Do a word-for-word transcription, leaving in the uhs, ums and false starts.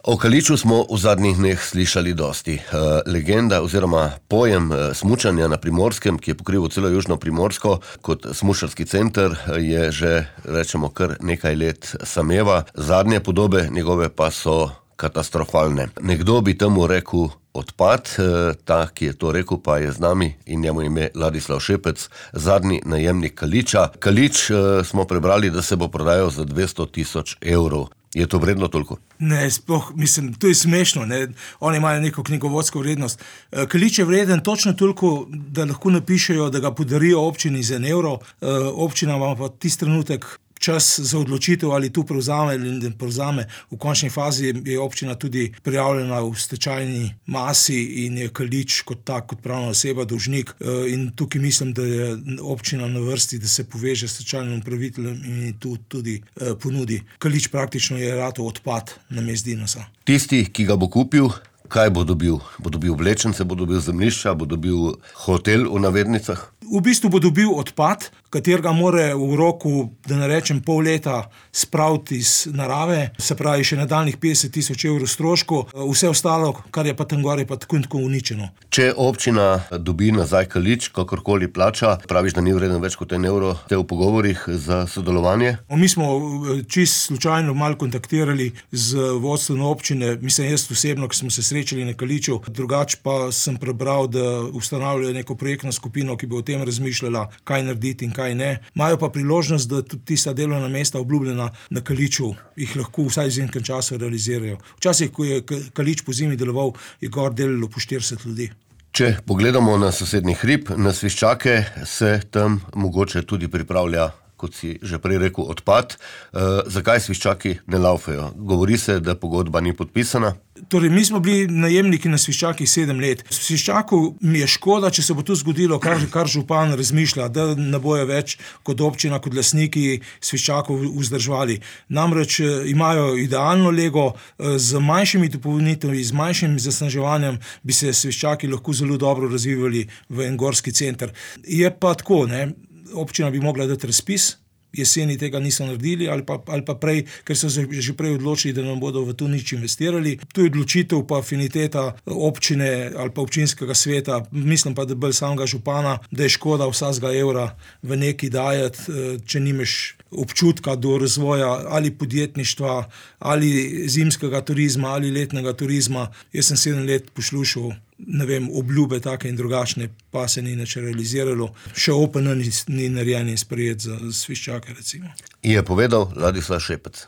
O Kaliču smo v zadnjih dneh slišali dosti. Legenda oziroma pojem smučanja na Primorskem, ki je pokrival celo južno Primorsko kot smučarski center, je že, rečemo, kar nekaj let sameva. Zadnje podobe njegove pa so katastrofalne. Nekdo bi temu rekel odpad, ta, ki je to rekel, pa je z nami in njemu ime Ladislav Šepec, zadnji najemnik Kaliča. Kalič smo prebrali, da se bo prodajal za dvesto tisoč evrov. Je to vredno toliko? Ne, sploh, mislim, to je smešno, ne. Oni imajo neko knjigovodsko vrednost. Kalič je vreden točno toliko, da lahko napišejo, da ga podarijo občini za en evro. Občina ima pa tisti trenutek čas za odločitev, ali tu prevzame ali ne prevzame. V končni fazi je občina tudi prijavljena v stečajni masi in je Kalič kot tak, kot pravna oseba, dolžnik. In tukaj mislim, da je občina na vrsti, da se poveže s stečajnim upraviteljem in tu tudi ponudi. Kalič praktično je ratal odpad namesto Dinosa. Tisti, ki ga bo kupil, kaj bo dobil? Bo dobil vlečence, bo dobil zemljišča, bo dobil hotel v navednicah? V bistvu bo dobil odpad, katerega more v roku, da ne rečem pol leta, spraviti iz narave, se pravi še nadaljnjih petdeset tisoč evrov stroškov, vse ostalo, kar je pa tam gor, je pa tako in tako uničeno. Če občina dobi nazaj Kalič, kakorkoli plača, praviš, da ni vreden več kot en evro, te v pogovorih za sodelovanje? Mi smo čisto slučajno malo kontaktirali z vodstvom občine, mislim jaz osebno, ki smo se srečali na Kaliču, drugače pa sem prebral, da ustanavljajo neko projektno skupino, ki bo o tem razmišljala, kaj narediti in kaj ne. Imajo pa priložnost, da tudi tista delovna mesta obljubljena na Kaliču jih lahko vsaj z enkrat časa realizirajo. Včasih, ko je Kalič po zimi deloval, je gor delalo po štirideset ljudi. Če pogledamo na sosednji hrib, na Sviščake, se tam mogoče tudi pripravlja, kot si že prej rekel, odpad. E, zakaj Sviščaki ne laufajo? Govori se, da pogodba ni podpisana. Torej, mi smo bili najemniki na Sviščakih sedem let. Sviščakov mi je škoda, če se bo to zgodilo, kar, kar župan razmišlja, da ne bojo več kot občina, kot lastniki Sviščakov vzdrževali. Namreč imajo idealno lego, z manjšimi dopolnitvami, z manjšim zasneževanjem bi se Sviščaki lahko zelo dobro razvivali v en gorski center. Je pa tako, ne, občina bi mogla dati razpis, jeseni tega niso naredili ali pa, ali pa prej, ker so se že prej odločili, da nam bodo v to nič investirali. Tu je odločitev pa afiniteta občine ali pa občinskega sveta, mislim pa, da bolj samega župana, da je škoda vsakega evra v neki dajati, če nimaš občutka do razvoja ali podjetništva, ali zimskega turizma, ali letnega turizma. Jaz sem sedem let poslušal, ne vem, obljube take in drugačne, pa se ni nič realiziralo. Še O P N ni, ni narejen in sprejet za Sviščake, recimo. Je povedal Ladislav Šepec.